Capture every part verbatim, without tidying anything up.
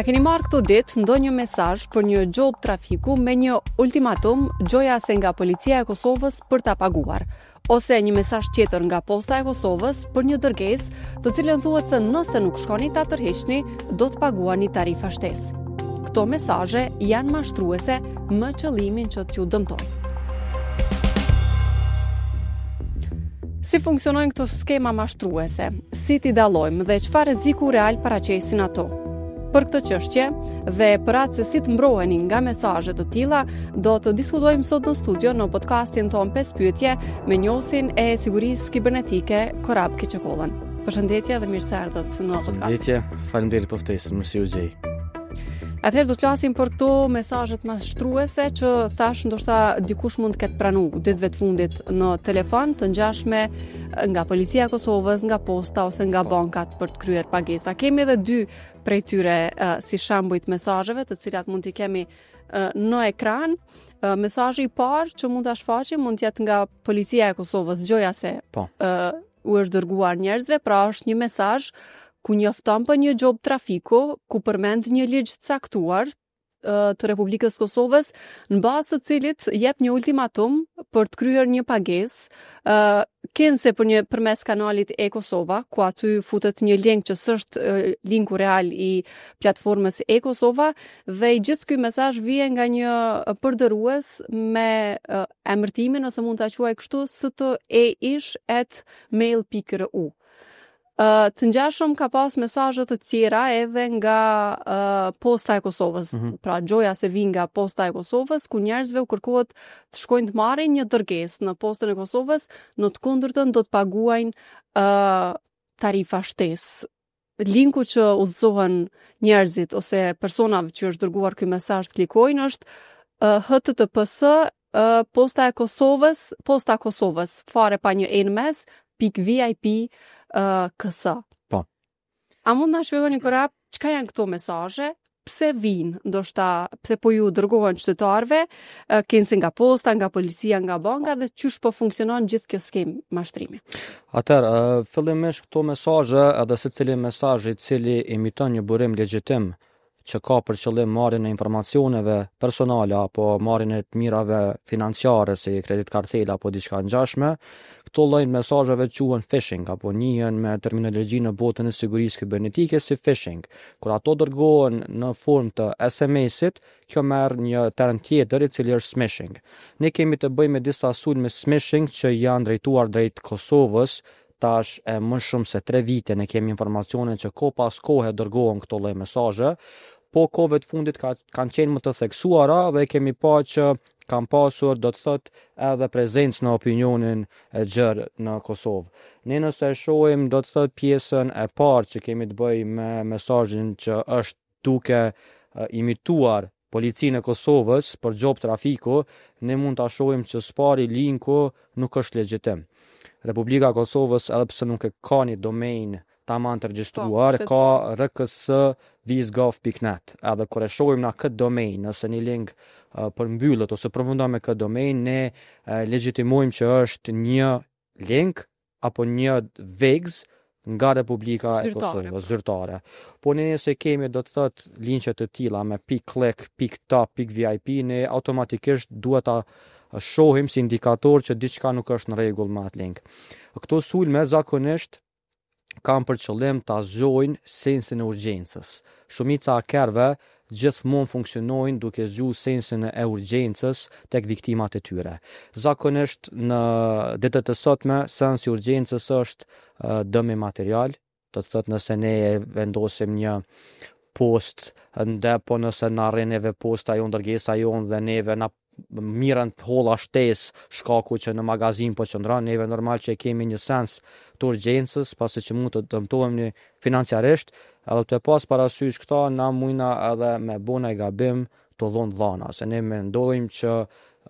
A keni marrë këto ditë ndonjë mesazh për një gjobë trafiku me një ultimatum gjoja se nga Policia e Kosovës për ta paguar, ose një mesazh tjetër nga Posta e Kosovës për një dërgesë, të cilën thuhet se nëse nuk shkoni ta tërhiqni, do të paguani tarifa shtesë? Këto mesazhe janë mashtruese me qëllimin që t'ju dëmtojnë. Si funksionojnë këto skema mashtruese? Si t'i dallojmë dhe çfarë rreziku real paraqesin ato? Për këtë çështje dhe për atë se si të mbroheni nga mesazhe të tilla, do të diskutojmë sot në studio në podcastin ton pesë pyetje me njohësin e sigurisë kibernetike Korab Kiçekollën. Përshëndetje dhe mirë se erdhët në podcast. Përshëndetje, faleminderit për ftesën, mirë se ju gjej. Atëherë do të flasim për këto mesazhet mashtruese që thash ndoshta dikush mund të ketë pranu ditëve të fundit në telefon, të ngjashme nga Policia e Kosovës, nga posta ose nga bankat për të kryer pagesa. Kemi edhe dy prej tyre uh, si shembuj të mesazheve, të cilat mund t'i kemi uh, në ekran. Uh, mesazhi i parë që mund ta shfaqim mund të jetë nga Policia e Kosovës, gjoja se po. uh, u është dërguar njerëzve, pra është një mesazh ku njofton për një gjobë trafiku, ku përmend një ligj të caktuar të Republikës Kosovës, në bazë të cilit jep një ultimatum për të kryer një pagesë, uh, kinse për një përmes kanalit e-Kosova, ku aty futet një link që s'është uh, linku real i platformës e-Kosova, dhe i gjithë ky mesazh vije nga një përdorues me uh, emërtimin, ose mund ta quaj kështu, steish at mail pikë ru. Uh, të ngjashëm ka pas mesazhe të tjera edhe nga uh, Posta e Kosovës. Mm -hmm. Pra gjoja se vijnë nga Posta e Kosovës, ku njerëzve u kërkohet të shkojnë të marrin një dërgesë në Postën e Kosovës, në të kundërtën do të paguajnë uh, tarifa shtesë. Linku që udhëzohen njerëzit ose personave që është dërguar ky mesazh të klikojnë është uh, H T T P S uh, Posta e Kosovës, Posta e Kosovës, fare pa një e në mes, pikë V I P Uh, K S. Po. A mund na shpjegoni Korab çka janë këto mesazhe, pse vijnë, ndoshta pse po ju dërgohen qytetarëve, uh, kinse nga posta, nga policia, nga banka dhe qysh po funksionon gjithë kjo skemë mashtrimi? Atëherë, uh, fillimisht këto mesazhe, edhe secili mesazh i cili imiton një burim legjitim që ka për qëllim marrjen e informacioneve personale apo marrjen e të mirave financiare si kredit kartela apo diçka ngjashme, këto lloj mesazheve quhen phishing apo njihen me terminologji në botën e sigurisë kibernetike si phishing. Kur ato dërgohen në formë të S M S-it, kjo merr një term tjetër i cili është smishing. Ne kemi të bëjmë me disa sulme smishing që janë drejtuar drejt Kosovës tash e më shumë se tre vite. Ne kemi informacione që kohë pas kohe dërgohen këto lloj mesazhe, po kohëve të fundit ka, kanë qenë më të theksuara dhe kemi pa që kanë pasur, do të thotë, edhe prezencë në opinionin e gjerë në Kosovë. Ne nëse e shohim, do të thotë, pjesën e parë që kemi të bëjmë me mesazhin që është duke imituar Policinë e Kosovës për gjobë trafiku, ne mund ta shohim që spari linku nuk është legjitim. Republika e Kosovës, edhe pse nuk e ka një domain tamam të regjistruar, Po, ka R K S vizgov pikë net. Edhe kur e shohim na këtë domain, nëse një link, uh, përmbyllet ose përfundon me këtë domain, ne, uh, legjitimojmë që është një link apo një vegz nga Republika e Zyrtare. Kosovës, zyrtare. Po ne nëse kemi, do të thotë, linqe të tilla me pikë click, pikë top, pikë V I P, ne automatikisht duhet ta shohim si indikator që diçka nuk është në rregull me atë link. Këto sulme zakonisht kanë për qëllim ta zgjojnë sensin e urgjencës. Shumica e hakerëve gjithmonë funksionojnë duke zgjuar sensin e urgjencës tek viktimat e tyre. Zakonisht në ditët e sotme sensi i urgjencës është, eh, dëmi material, do të thotë nëse ne e vendosim një post në depo, nëse na arrin neve posta jonë, dërgesa jonë dhe neve na mirën të holla shtesë shkaku që në magazin po qëndron, neve normal që e kemi një sens të urgjencës, pasi që mund të dëmtohemi financiarisht, edhe të pas parasysh këta, na mujna edhe me bo naj gabim të dhonë dhana, se ne mendojmë që,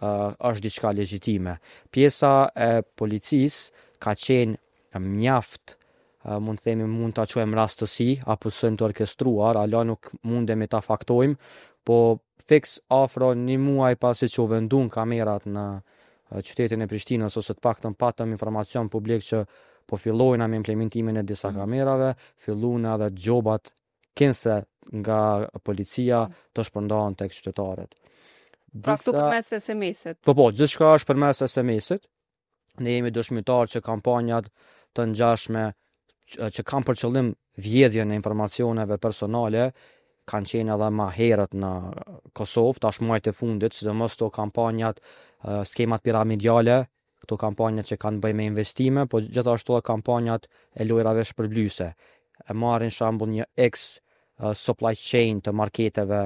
uh, është diçka legjitime. Pjesa e policisë ka qenë mjaft, uh, mund të themi, mund ta quajmë rastësi apo sulm të orkestruar, ala nuk mundemi ta faktojmë, po fiks afro një muaj pasi që u vendun kamerat në, eh, qytetin e Prishtinës, ose të paktën patëm informacion publik që po fillojna me implementimin e disa Mm. kamerave, filluna edhe gjobat kinse nga policia të shpërndahen tek qytetarët. Pra këtu përmes S M S-it. Po po, gjithçka është përmes S M S-it. Ne jemi dëshmitar që kampanjat të ngjashme që, që kanë për qëllim vjedhjen e informacioneve personale kanë qenë edhe ma herët në Kosovë, tash muajt e fundit, sidomos këto kampanjat, eh, skemat piramidale, këto kampanjat që kanë të bëjnë me investime, po gjithashtu edhe kampanjat e lojrave shpërblyese. E marrin shembull një X eh, supply chain të marketeve,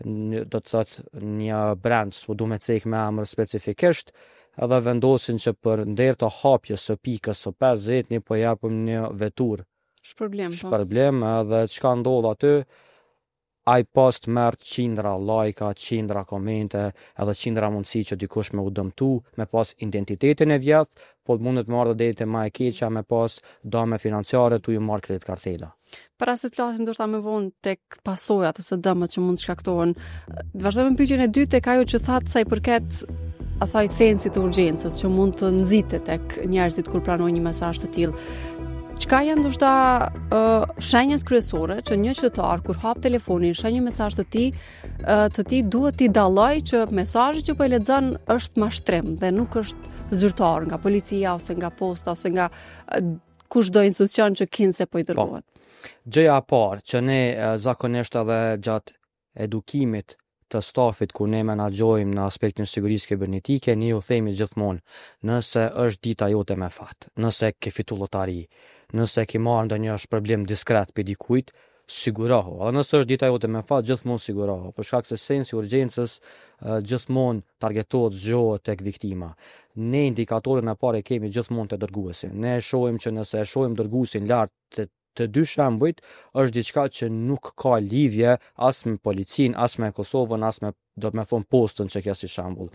një, do të thotë një brand, s'po du me cek me emër specifikisht, edhe vendosin që për nder të hapjes së pikës së pesëdhjetë, ne po japim një vetur Shpërblim, po. Shpërblim, edhe çka ndodh aty, ai post merr qindra lajka, qindra komente, edhe qindra mundësi që dikush me u dëmtu, me pas identitetin e vjedh, po mundet me ardhë deri te ma e keqja, me pas dëme financiare tu ju marrë kredit kartela. Para se të flasim ndoshta më vonë tek pasojat ose dëmet që mund të shkaktohen, të vazhdojmë me pyetjen e dytë tek ajo që thatë sa i përket asaj sensit të urgjencës që mund të nxitet tek njerëzit kur pranojnë një mesazh të tillë. Çka janë ndoshta uh, shenjat kryesore që një qytetar kur hap telefonin, sheh një mesazh të tij, uh, të tij duhet t'i dalloj që mesazhi që po e lexon është mashtrim dhe nuk është zyrtar nga policia ose nga posta ose nga uh, kushdo institucion që kinse po i dërgohet. Gjëja e parë që ne eh, zakonisht edhe gjatë edukimit të stafit ku ne menaxhojmë në aspektin e sigurisë kibernetike, ne ju themi gjithmonë, nëse është dita jote me fat, nëse ke fitu lotari, nëse ke marrë ndonjë shpërblim diskret për dikujt, sigurohu. Edhe nëse është dita jote me fat, gjithmonë sigurohu, për shkak se sensi i urgjencës eh, gjithmonë targetohet, zgjohet tek viktima. Ne indikatorin e parë e kemi gjithmonë te dërguesi. Ne e shohim që nëse e shohim dërguesin lart të të dy shembujt, është diçka që nuk ka lidhje as me policinë, as me Kosovën, as me, do të me thonë, postën që kjo si shembull.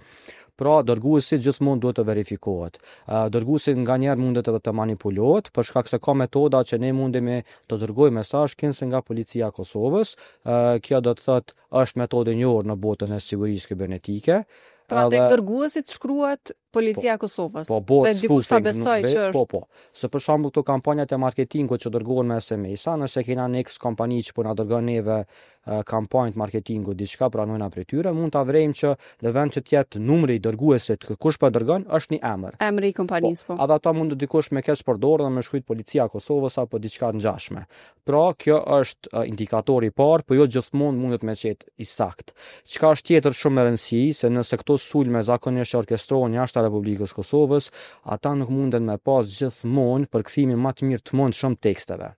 Pra, dërguesi gjithmonë duhet të verifikohet. Ë, Dërguesi nganjëherë mundet edhe të manipulohet, për shkak se ka metoda që ne mundemi të dërgojmë mesazh kinse nga policia e Kosovës. Ë, Kjo do të thotë është metodë e njohur në botën e sigurisë kibernetike. Pra tek Edhe- dërguesit shkruhet Policia e Kosovës. Po, bëhet Dhe dikush ta spoofing, nuk besoj be- që është Po, po. Se për shembull këto kampanjat e marketingut që dërgohen me S M S-a, nëse kena një X kompani që po na dërgon neve eh, kampanjë të marketingut, diçka pranojna prej tyre, mund ta vrejmë që në vend që të jetë numri i dërguesit, kë- kush po e dërgon, është një emër. Emri i kompanisë, po. Edhe ata mund të dikush me keq përdorë dhe me shkruajt Policia e Kosovës apo diçka të ngjashme. Pra, kjo është eh, indikatori i parë, po jo gjithmonë mundet me qenë i sakt. Çka është tjetër shumë me rëndësi, se nëse këto sulme zakonisht që orkestrohen jashtë Republikës Kosovës, ata nuk munden me pas gjithmonë përkthimin më të mirë të mundshëm të teksteve.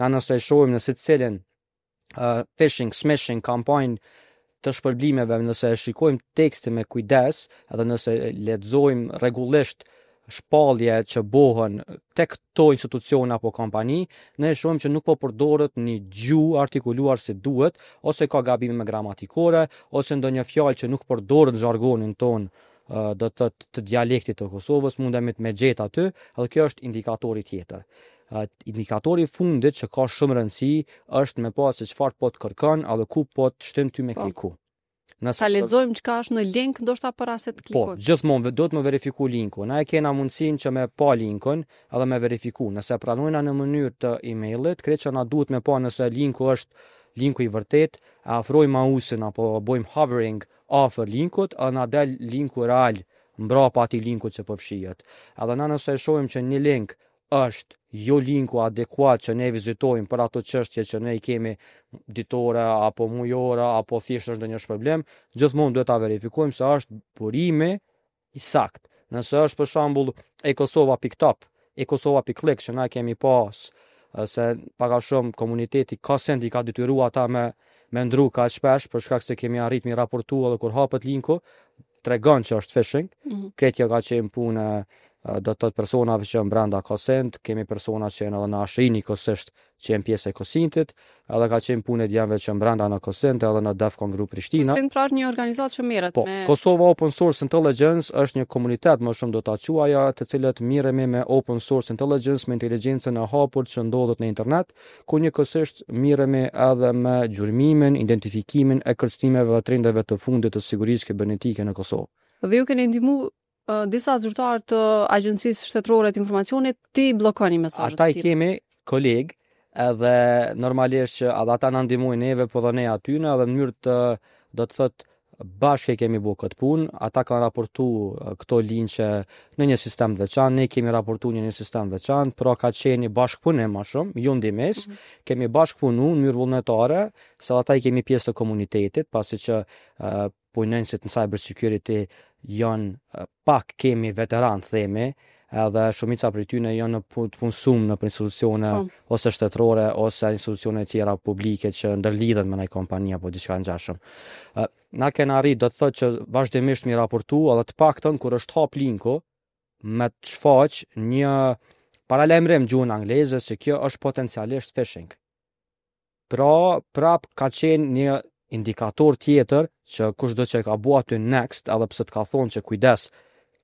Na nëse e shohim në secilin uh, phishing, smishing kampanjë të shpërblimeve, nëse e shikojmë tekstin me kujdes, edhe nëse lexojmë rregullisht shpallje që bohen tek këto institucione apo kompani, ne shohim që nuk po përdoret një gjuhë artikuluar si duhet, ose ka gabime me gramatikore, ose ndonjë fjalë që nuk përdoret në jargonin ton, ë, do të thotë të dialektit të Kosovës, mundemi të me gjet aty, edhe kjo është indikatori tjetër. Ë, indikatori i fundit që ka shumë rëndësi është me pa se çfarë po të kërkon edhe ku po të shtin ty me Po. kliku. Nëse Ta lexojmë çka është në link ndoshta para se të Po, klikojmë. gjithmonë ve- duhet me verifiku linkun. Na e kena mundësinë që me pa linkun edhe me verifiku. Nëse pranojna në mënyrë të emailit, krejt që na duhet me pa nëse linku është linku i vërtet, e afrojmë mouse-in apo bojmë hovering afër linkut, edhe na del linku real mbrapa atij linkut që përfshihet. Edhe na nëse e shohim që një link është jo linku adekuat që ne vizitojmë për ato çështje që ne i kemi ditore apo mujore apo thjesht është ndonjë shpërblim, gjithmonë duhet ta verifikojmë se është burimi i sakt. Nëse është për shembull e kosova pikë top, e kosova pikë click që na kemi pas e, se pak a shumë komuniteti ka send i ka detyruar ata me me ndru kaq shpesh për shkak se kemi arrit mi raportu edhe kur hapet linku tregon që është phishing. Mm -hmm. Krejt kjo ka qenë punë e, do të thotë personave që janë brenda COSINT, kemi persona që janë edhe në A S H I njëkohësisht që janë pjesë e COSINT-it, edhe ka qenë punë e djemve që janë brenda në COSINT edhe në Defcon Group Prishtina. COSINT pra është një organizatë që merret Po, me Kosova Open Source Intelligence është një komunitet më shumë do ta quaja, të cilët merremi me Open Source Intelligence, me inteligjencën e hapur që ndodhet në internet, ku njëkohësisht merremi edhe me gjurmimin, identifikimin e kërcënimeve dhe trendeve të fundit të sigurisë kibernetike në Kosovë. Dhe ju keni ndihmu uh, disa zyrtarë të Agjencisë Shtetërore të Informacionit ti bllokoni mesazhet Ata i të tilla. kemi kolegë Edhe normalisht që edhe ata na ndihmojnë neve, po dhe ne atyne, edhe në mënyrë të, do të thotë, bashkë e kemi bu këtë punë, ata kanë raportu këto linqe në një sistem të veçantë, ne kemi raportu në një sistem të veçantë, pra ka qenë një bashkëpunim më shumë, jo ndihmes, mm -hmm. kemi bashkëpunu në mënyrë vullnetare, se ata i kemi pjesë të komunitetit, pasi që uh, punonjësit në cyber security janë uh, pak kemi veteran, themi, edhe shumica prej tyre janë në të punësuar në institucione po. ose shtetërore ose institucione tjera publike që ndërlidhen me ndonjë kompani apo diçka ngjashëm. Na kena arrit, do të thotë, që vazhdimisht mi raportu, edhe të paktën kur është hap linku me të shfaq një paralajmërim gjuhën angleze se kjo është potencialisht phishing. Pra, prap ka qenë një indikator tjetër që kushdo që e ka bu aty next, edhe pse të ka thonë që kujdes,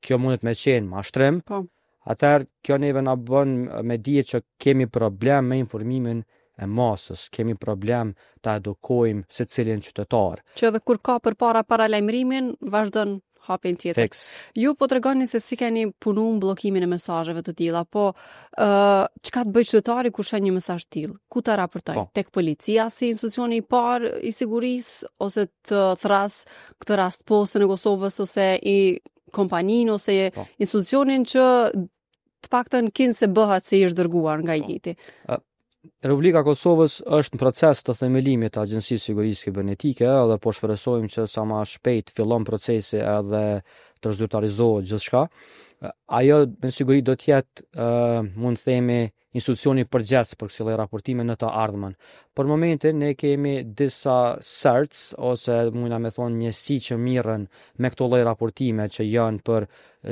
kjo mundet me qenë mashtrim, po. Atëherë kjo neve na bën me dije që kemi problem me informimin e masës, kemi problem ta edukojmë secilin qytetar. Që edhe kur ka përpara paralajmërimin, vazhdon hapin tjetër. Fiks. Ju po tregoni se si keni punu në bllokimin e mesazheve të tilla, po ë çka të bëj qytetari kur sheh një mesazh të tillë? Ku ta raportoj? Po. Tek policia si institucioni i parë i sigurisë ose të thras këtë rast Postën e Kosovës ose i kompaninë ose Po. institucionin që të paktën kin se bëhet se i është dërguar nga i Po. njëjti. Republika e Kosovës është në proces të themelimit të Agjencisë së Sigurisë Kibernetike dhe po shpresojmë që sa më shpejt fillon procesi edhe të zyrtarizohet gjithçka. Ajo me siguri do të jetë, ë, mund të themi, institucioni përgjegjës për kësi lloj raportime në të ardhmen. Për momentin ne kemi disa CERTs ose mundna me thonë njësi që mirren me këto lloj raportime që janë për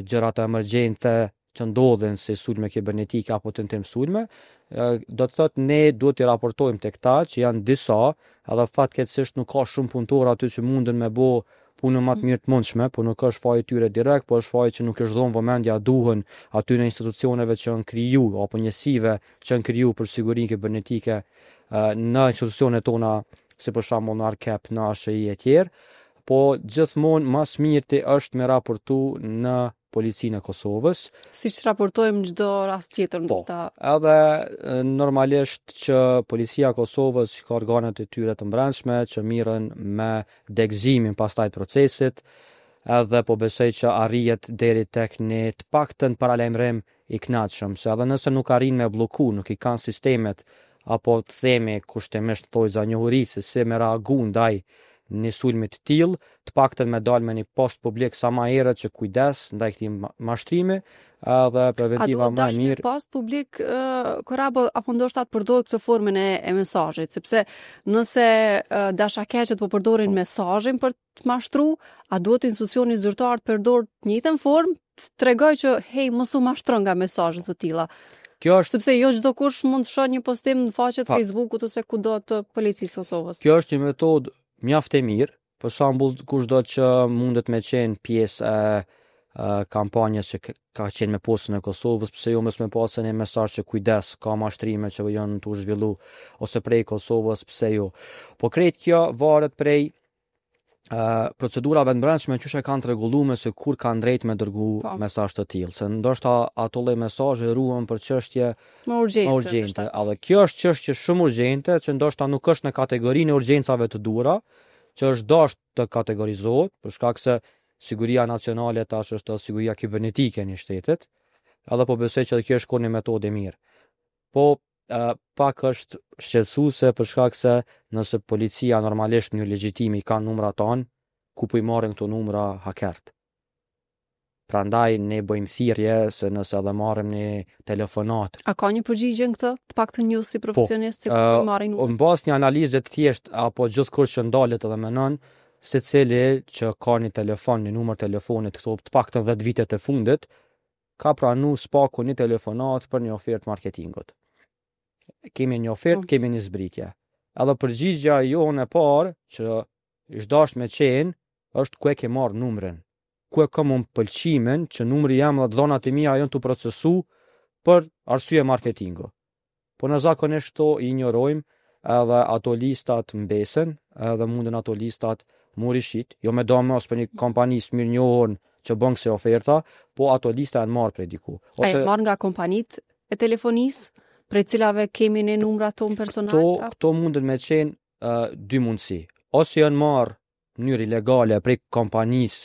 gjërat emergjente që ndodhin si sulme kibernetike apo tentim sulme. Ë, do të thotë ne duhet t'i raportojmë tek ta që janë disa, edhe fatkeqësisht nuk ka shumë punëtorë aty që munden me bo punën më të mirë të mundshme, po nuk është faji tyre direkt, po është faji që nuk është dhënë vëmendja duhen aty në institucioneve që janë kriju apo njësive që janë kriju për sigurinë kibernetike ë, në institucionet tona, si për shembull në ARKEP, në A S H I e tjerë, po gjithmonë më së mirti është me raportu në Policinë e Kosovës. Siç raportojmë çdo rast tjetër Po. ndoshta. Edhe e, normalisht që Policia e Kosovës ka organet e tyre të mbrendshme që mirren me degëzimin pastaj të procesit, edhe po besoj që arrihet deri tek një të paktën paralajmërim i kënaqshëm, se edhe nëse nuk arrin me blloku, nuk i kanë sistemet apo të themi kushtimisht thojza njohuri se si me reagu ndaj një sulmi të tillë, të paktën me dal me një post publik sa më herët që kujdes ndaj këtij ma- mashtrimi, edhe A preventiva duhet më e dalë me mirë. post publik uh, Korabo, apo ndoshta të përdorë këtë formën e, e mesazhit, sepse nëse uh, dashakeqët po përdorin Po. mesazhin për të mashtru, a duhet institucioni zyrtar të përdor të njëjtën formë të tregoj që hej, mos u mashtro nga mesazhe të tilla, Kjo është sepse jo çdo kush mund të shohë një postim në faqet Pa. Facebookut ose kudo të policisë së Kosovës. Kjo është një metodë mjaft e mirë. Për shembull, kushdo që mundet me qenë pjesë e, e kampanjës që k- ka qenë me Postën e Kosovës, pse jo mos me pasë një mesazh që kujdes, ka mashtrime që janë tu zhvillu ose prej Kosovës, pse jo. Po krejt kjo varet prej uh, procedurave të brendshme qysh e kanë të rregulluar se kur kanë drejt me dërgu Po. mesazh të tillë, se ndoshta ato lloj mesazhe ruhen për çështje Më urgjente. më urgjente. Edhe kjo është çështje shumë urgjente që ndoshta nuk është në kategorinë e urgjencave të duhura, që është dashur të kategorizohet, për shkak se siguria nacionale tash është edhe siguria kibernetike e një shtetit, edhe po besoj që edhe kjo është kon një metodë e mirë. Po e, pak është shqetësuese për shkak se nëse policia normalisht në mënyrë legjitime i kanë numrat tanë, ku po i marrin këto numra hakert. Prandaj ne bëjmë thirrje se nëse edhe marrim një telefonat A ka një përgjigje në këtë? Të paktën ju si profesionist, se ku ë, po i marrin Në bazë një analize të thjesht apo gjithkush që ndalet edhe menon, secili që ka një telefon, një numër telefonit këto të paktën dhjetë vitet e fundit, ka pranu spaku një telefonat për një ofertë marketingut. Kemi një ofertë, Po. kemi një zbritje. Edhe përgjigja jonë e parë që është dashur me qenë është ku e ke marrë numrin. Ku e kam unë pëlqimin që numri jam dhe dhënat e mia janë të procesu për arsye marketingu. Po në zakonisht këto i injorojmë edhe ato listat mbesen, edhe munden ato listat mu rishit, jo me domos për një kompani të mirënjohur që bën kësi oferta, po ato lista janë marrë prej diku. A janë marrë nga kompanitë e telefonisë? prej cilave kemi ne numrat tonë personal? Këto, këto mundet me qenë uh, dy mundësi. Ose janë marrë në mënyrë ilegale prej kompanisë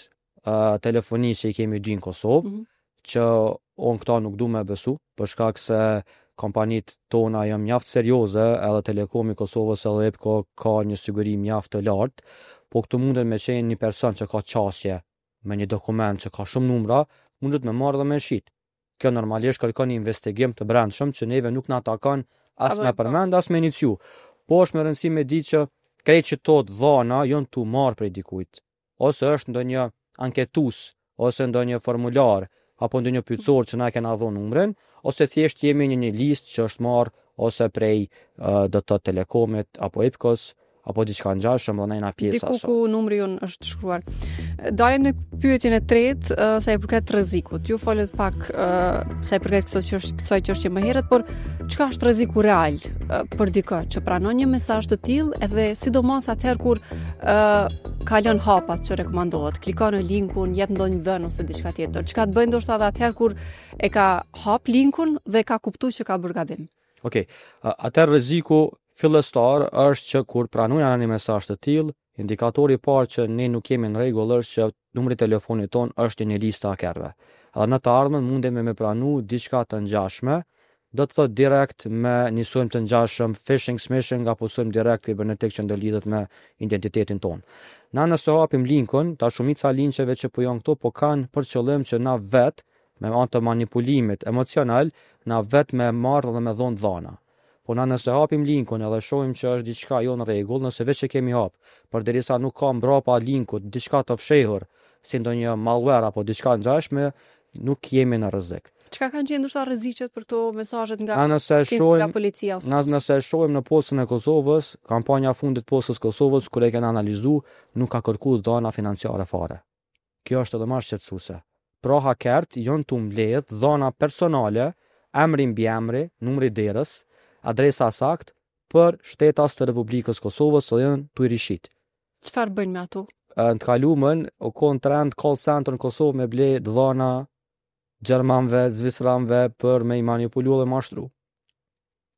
uh, telefonisë që i kemi dy në Kosovë, Mm -hmm. që unë këta nuk du me besu, për shkak se kompanit tona janë mjaft serioze, edhe Telekomi i Kosovës edhe IPKO ka një siguri mjaft të lartë, po këtu mundet me qenë një person që ka qasje me një dokument që ka shumë numra, mundet me marrë dhe me shit. Kjo normalisht kërkon një investigim të brendshëm që neve nuk na takon as Apo me e po. përmend, as me iniciu. Po është me rëndësi me di që krejt që to dhana janë tu marrë prej dikujt, ose është ndonjë anketues, ose ndonjë formular, apo ndonjë pyetësor që na kena dhënë numrin, ose thjesht jemi në një listë që është marrë ose prej uh, do të thotë Telekomit apo IPKO-s apo diçka ngjashëm dhe na jena pjesë Diku asaj. ku numri jon është shkruar. Dalim në pyetjen e tretë, ë, sa i përket rrezikut. Ju folët pak ë, sa i përket kësaj çështje, kësaj çështje më herët, por çka është rreziku real ë, për dikë që pranon një mesazh të tillë edhe sidomos atëherë kur ë kalon hapat që rekomandohet, klikon në linkun, jep ndonjë dhën ose diçka tjetër. Çka të bëjë ndoshta edhe atëherë kur e ka hap linkun dhe ka kuptuar që ka bërë gabim. Okej, okay. Atëherë rreziku fillestar është që kur pranojnë një mesazh të tillë, indikatori i parë që ne nuk jemi në rregull është që numri i telefonit ton është në një listë të hakerëve. Edhe në të ardhmen mundemi me pranu diçka të ngjashme, do të thotë direkt me një sulm të ngjashëm, phishing, smishing apo sulm direkt kibernetik që ndërlidhet me identitetin ton. Na nëse hapim linkun, ta shumica linqeve që po janë këto po kanë për qëllim që na vet me anë të manipulimit emocional, na vet me marrë dhe me dhonë dhana. Po na nëse hapim linkun edhe shohim që është diçka jo në rregull, nëse veç e kemi hap, përderisa nuk ka mbrapa linkut diçka të fshehur, si ndonjë malware apo diçka ngjashme, nuk jemi në rrezik. Çka kanë qenë ndoshta rreziqet për këto mesazhet nga Na nëse nga shohim policia ose Na nëse e shohim në postën e Kosovës, kampanja fundit postës Kosovës kur e kena analizu, nuk ka kërku dhana financiare fare. Kjo është edhe më shqetësuese. Pra hakert janë tu mbledh dhana personale, emri mbi emri, numri derës, adresa sakt për shtetas të Republikës Kosovës dhe janë tu i rishit. Çfarë bëjnë me ato? Në të kalumen, u kon trend call center në Kosovë me ble dhana gjermanve, zvicranve për me i manipulu dhe mashtru.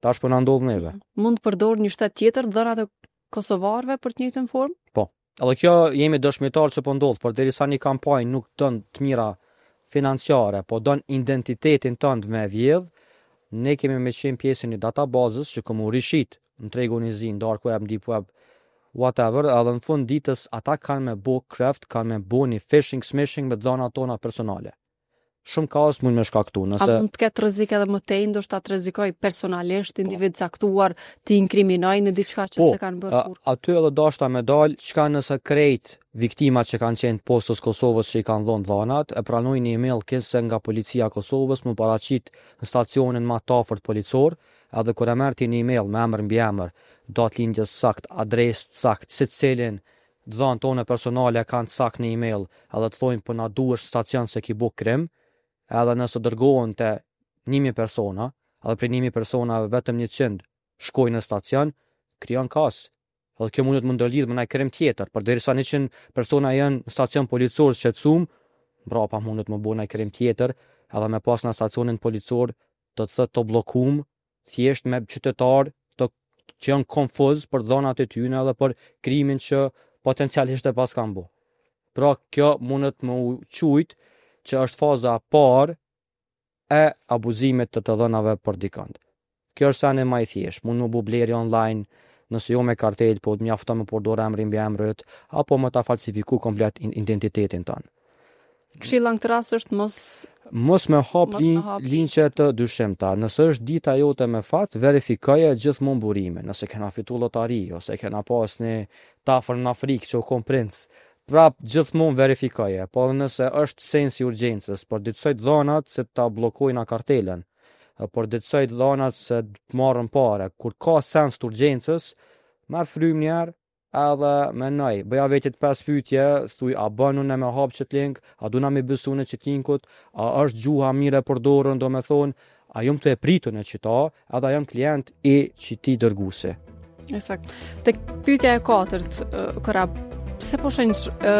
Tash po na ndodh neve. Mund të përdor një shtet tjetër dhënat e kosovarëve për të njëjtën formë? Po. Edhe kjo jemi dëshmitar që po ndodh, por derisa një kampanjë nuk don të mira financiare, po don identitetin tënd me vjedh, ne kemi me qenë pjesë e një databazës që komu rishit në tregun i zi, në dark web, në deep web, whatever, edhe në fund ditës ata kanë me bo craft, kanë me bo një phishing, smishing me dhënat tona personale. Shumë kaos mund me shkaktu, A nëse mund të ketë rrezik edhe më tej, ndoshta të rrezikoj personalisht individ caktuar, të inkriminoj në diçka që Po, se kanë bërë a, kurrë. aty edhe dashta me dal, çka nëse krejt viktimat që kanë qenë të postës Kosovës që i kanë dhënë dhanat, e pranojnë një email kese nga policia e Kosovës, më paraqit në stacionin më të afërt policor, edhe kur e merr ti një email me emër mbi emër, datë lindjes sakt, adresë sakt, secilin dhënë tone personale kanë sakt në email, edhe të thonë po na duhesh stacion se ki bo krim, edhe nëse dërgohen te një mijë persona, edhe prej një mijë personave vetëm njëqind shkojnë në stacion, krijon kaos. Edhe kjo mundet më ndërlidh me ndaj krim tjetër, përderisa njëqind persona janë në stacion policor shqetësuar, mbrapa mundet më bo ndaj krim tjetër, edhe me pas në stacionin policor, do të thotë të bllokum, thjesht me qytetar të që janë konfuz për dhënat e tyre edhe për krimin që potencialisht e pas kanë bo. Pra kjo mundet më u qujt që është faza e parë e abuzimit të të dhënave për dikënd. Kjo është sene më i thjeshtë, mund më bu blerje online, nëse jo me kartel, po mjafton me përdor emrin mbi emrit, apo më ta falsifiku komplet identitetin tënd. Këshilla në këtë rast është mos Mos me hap Mos me lin, hap linqe të dyshimta. Nëse është dita jote me fat, verifikoje gjithmonë burimin. Nëse kena fitu lotari ose kena pas një tafër në Afrikë që u kon princ, prap gjithmonë verifikoje. Po edhe nëse është sensi i urgjencës, përditësoj dhënat se ta bllokojnë kartelën, përditësoj dhënat se të marrën pare. Kur ka sens të urgjencës, merr frymë një herë, edhe menoj, bëja vetit pesë pyetje, thuj a bën unë me hap qët link, a duna me besu në qët linkut, a është gjuha mirë e përdorur, do me thonë, a jam të e pritur në qita, edhe a jam klient i qiti dërguesi. Eksakt. Tek pyetja e katërt, ë, Korab, pse po shenjë ë,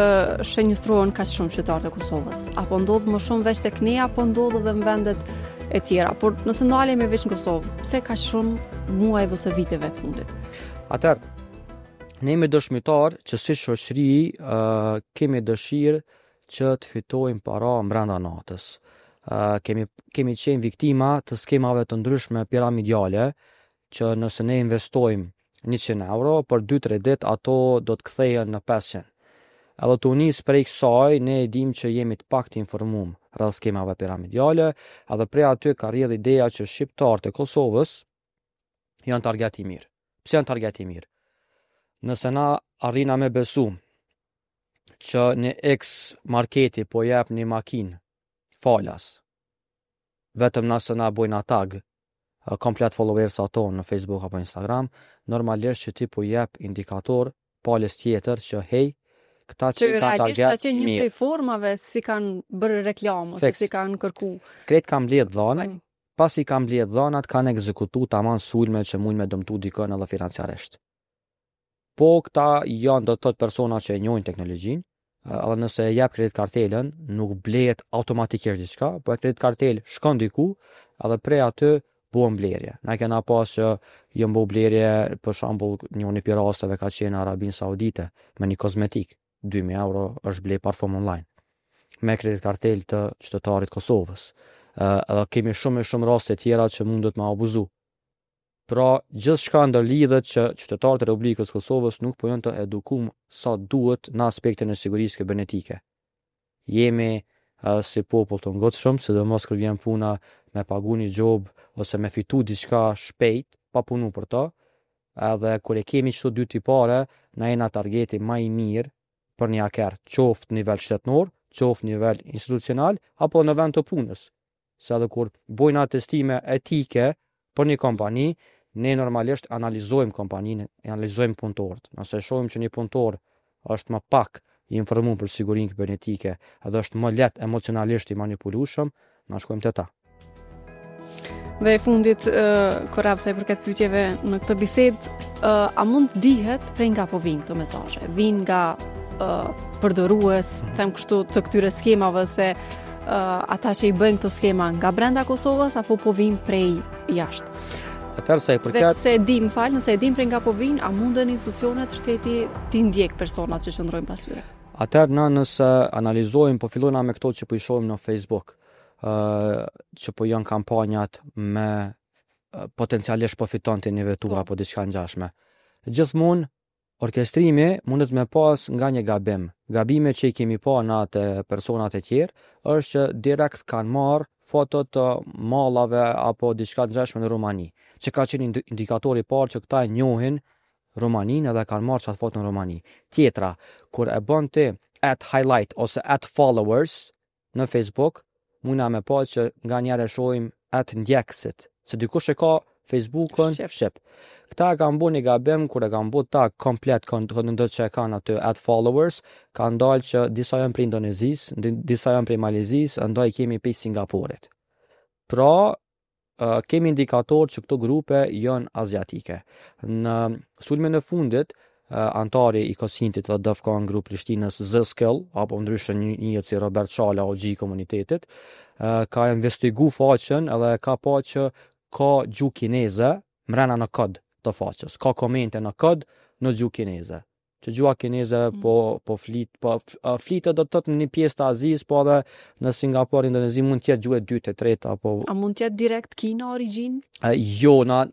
shenjëstrohen kaq shumë qytetarët e Kosovës? Apo ndodh më shumë veç tek ne apo ndodh edhe në vendet e tjera. Por nëse ndalemi veç në Kosovë, pse kaq shumë muajve ose viteve të fundit? Atëherë, ne jemi dëshmitar që si shoqëri uh, kemi dëshirë që të fitojmë para brenda natës. Uh, kemi kemi qenë viktima të skemave të ndryshme piramidiale që nëse ne investojmë njëqind euro, për dy tre ditë ato do të kthehen në pesëqind. Edhe të nis prej kësaj, ne e dim që jemi të pak të informuar rreth skemave piramidiale, edhe prej aty ka rrjedh ideja që shqiptarët e Kosovës janë target i mirë. Pse janë target i mirë? Nëse na arrina me besu që një X marketi po jep një makinë falas, vetëm nëse na bojna tag komplet followers ato në Facebook apo Instagram, normalisht që ti po jep indikator palës tjetër që hej, këta që, që kanë target ka qenë një prej formave si kanë bërë reklamë ose si kanë kërku. Krejt kanë mbledh dhënat, pasi kanë mbledh dhënat kanë ekzekutu tamam sulme që mund me dëmtu dikën edhe financiarisht. Po këta janë, do të thotë, persona që e njohin teknologjinë, edhe nëse e jep kredit kartelën, nuk blehet automatikisht diçka, po e kredit kartel shkon diku, edhe prej aty bëhen blerje. Na kena pas që janë bo blerje, për shembull, njëri prej rasteve ka qenë në Arabinë Saudite me një kozmetik, dy mijë euro është ble parfum online me kredit kartel të qytetarit Kosovës. Edhe kemi shumë e shumë raste tjera që mundet me abuzu. Pra, gjithçka ndërlidhet që qytetarët e Republikës Kosovës nuk po janë të edukum sa duhet në aspektin e sigurisë kibernetike. Jemi uh, si popull të ngutshëm, sidomos kur vjen puna me pagu një gjobë ose me fitu diçka shpejt, pa punu për to, edhe kur e kemi qëto dy tipare, na jena targeti ma i mirë për një haker, qoftë nivel shtetnor, qoftë nivel institucional, apo në vend të punës. Se edhe kur bojna testime etike për një kompani, ne normalisht analizojmë kompaninë, analizojmë punëtorët. Nëse shohim që një punëtor është më pak i informuar për sigurinë kibernetike, edhe është më lehtë emocionalisht i manipulueshëm, na shkojmë te ta. Dhe e fundit, uh, Korab, sa i përket pyetjeve në këtë bisedë, uh, a mund të dihet prej nga po vinë këto mesazhe? Vinë nga uh, përdorues, them kështu, të këtyre skemave se uh, ata që i bëjnë këto skema nga brenda Kosovës apo po vinë prej jashtë? Atëherë, sa i përket. Dhe nëse e dim, fal, nëse e dim prej nga po vinë, a munden institucionet, shteti t'i ndjek personat që qëndrojnë pas tyre? Atëherë, na nëse analizojmë, po fillojna me këto që po i shohim në Facebook, ë që po janë kampanjat me potencialisht po fiton ti një vetura po apo diçka ngjashme. Gjithmonë orkestrimi mundet me pas nga një gabim. Gabime që i kemi pa në atë personat e tjerë është që direkt kanë marrë foto të mallave apo diçka të ngjashme në Rumani, që ka qenë indikatori i parë që këta e njohin Rumaninë edhe kanë marrë qatë foto në Rumani. Tjetra, kur e bën ti at highlight ose at followers në Facebook, muna me pa që nga njerë e shohim at ndjekësit, se dikush e ka Facebookun shqip. Shqip. Këta e kanë bu një gabim kur e kanë bu tag komplet këndo që e kanë aty at followers, kanë dalë që disa janë prej Indonezisë, disa janë prej Malezisë, ndaj kemi prej Singaporit. Pra, kemi indikator që këto grupe janë aziatike. Në sulmin e fundit, antari i Kosintit dhe DEFCON Grup Prishtinës Z-Skill, apo ndryshe njihet si Robert Shala, O G i komunitetit, ka investigu faqen edhe ka pa që ka gjuhë kineze mrena në kod të faqes. Ka komente në kod në gjuhë kineze. Që gjuha kineze mm. po po flit po flitet, do të thotë, në një pjesë të Azisë, po edhe në Singapur, Indonezi mund të jetë gjuhë e dytë, e tretë apo A mund të jetë direkt Kina origjinë? Jo, na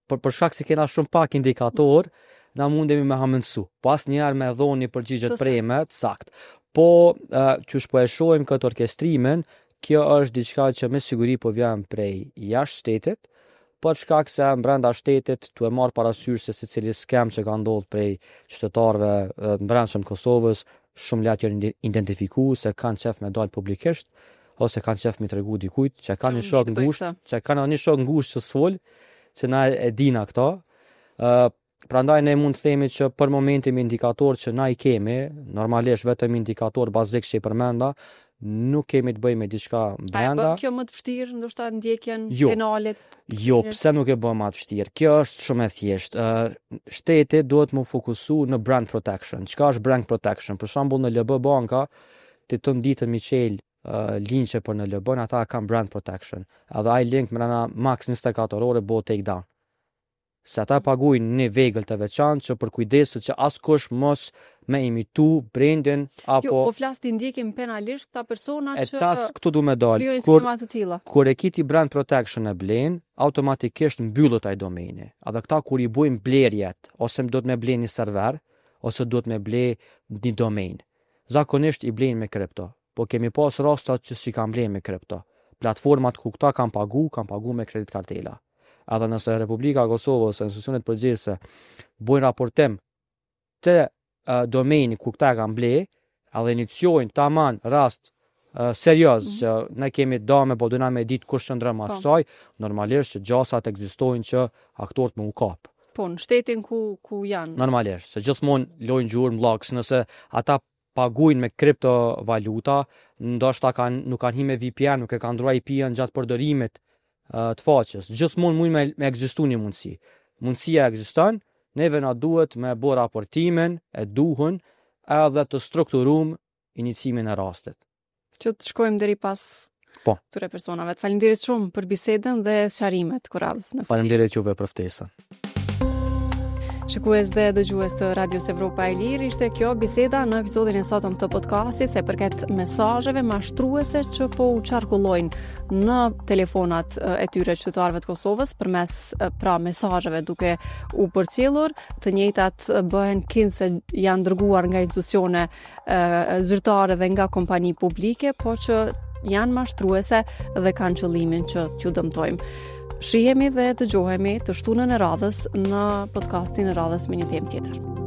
për për shkak se kena shumë pak indikator, na mundemi me hamendsu. Po asnjëherë me dhonë një përgjigje të preme, të sakt. Po uh, qysh po e shohim këtë orkestrimin, kjo është diçka që me siguri po vjen prej jashtë shtetit, për shkak se brenda shtetit tu e marr parasysh se secili skem që ka ndodhur prej qytetarëve të brendshëm të Kosovës, shumë lehtë janë identifiku se kanë qef me dal publikisht ose kanë qef me tregu dikujt që kanë një shok ngushtë, që kanë një shok ngushtë që s'fol, që na e dina këto. Ë uh, prandaj ne mund të themi që për momentin me indikator që na i kemi, normalisht vetëm indikator bazik që i përmenda, nuk kemi të bëjmë me diçka brenda. A e bën kjo më të vështirë, ndoshta ndjekjen jo. Penale? Jo, pse nuk e bën më të vështirë? Kjo është shumë e thjeshtë. Uh, shteti duhet më fokusu në brand protection. Çka është brand protection? Për shembull, në L B Banka ti të ditën mi çel uh, linqe për N L B, ata kanë brand protection. Edhe ai link mrena max njëzet e katër orë bëhet take down. Se ata paguajnë një vegël të veçantë që përkujdeset që askush mos me imitu brandin apo Jo, po flas ti ndjekim penalisht këta persona e që tash këtu du me dal. krijojnë Kur skema të tilla. Kur e ki ti brand protection e blen, automatikisht mbyllet ai domeni. Edhe këta kur i bujnë blerjet, ose do të me ble një server, ose duhet me ble një domain. Zakonisht i blejnë me kripto, po kemi pas rastat që si kanë ble me kripto. Platformat ku këta kanë pagu, kanë pagu me kredit kartela. Edhe nëse Republika e Kosovës, institucionet përgjegjëse bojnë raportim të uh, domeni ku këta e kanë ble, edhe iniciojnë taman rast uh, serioz mm -hmm. që ne kemi dame, po dona me ditë kush qëndron mas Po. saj, normalisht që gjasat ekzistojnë që aktorët më u kap. Po, në shtetin ku ku janë. Normalisht, se gjithmonë lojnë gjurmë logs, nëse ata paguajnë me kriptovaluta, ndoshta kanë nuk kanë hi me V P N, nuk e kanë ndruar I P-n gjatë përdorimit uh, të faqes. Gjithmonë mund me, me ekzistu një mundësi. Mundësia ekziston, neve na duhet me bo raportimin e duhun edhe të strukturum inicimin e rastit. Që të shkojmë deri pas Po. këtyre personave. Faleminderit shumë për bisedën dhe sqarimet, Korab. Në Faleminderit juve për ftesën. Shikues dhe dëgjues të Radios Evropa e Lirë, ishte kjo biseda në episodin e sotëm të podcastit se përket mesazheve mashtruese që po u qarkullojnë në telefonat e tyre qytetarëve të Kosovës përmes e, pra mesazheve duke u përcjellur, të njëjtat bëhen kinse janë dërguar nga institucione e, zyrtare dhe nga kompani publike, po që janë mashtruese dhe kanë qëllimin që t'ju dëmtojmë. Shihemi dhe dëgjohemi të shtunën e radhës në podcastin e radhës me një temë tjetër.